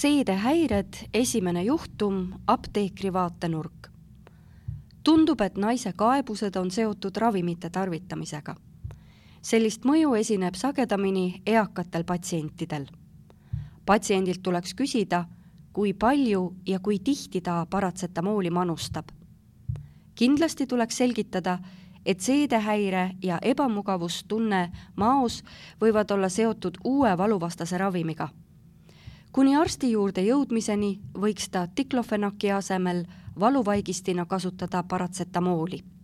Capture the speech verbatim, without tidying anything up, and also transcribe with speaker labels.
Speaker 1: Seedehäired, esimene juhtum, apteekri vaatenurk. Tundub, et naise kaebused on seotud ravimite tarvitamisega. Sellist mõju esineb sagedamini eakatel patsientidel. Patsiendilt tuleks küsida, kui palju ja kui tihti ta paratsetamooli manustab. Kindlasti tuleks selgitada, et seedehäire ja ebamugavustunne maos võivad olla seotud uue valuvastase ravimiga. Kuni arsti juurde jõudmiseni võiks ta diklofenaki asemel valuvaigistina kasutada paratsetamooli.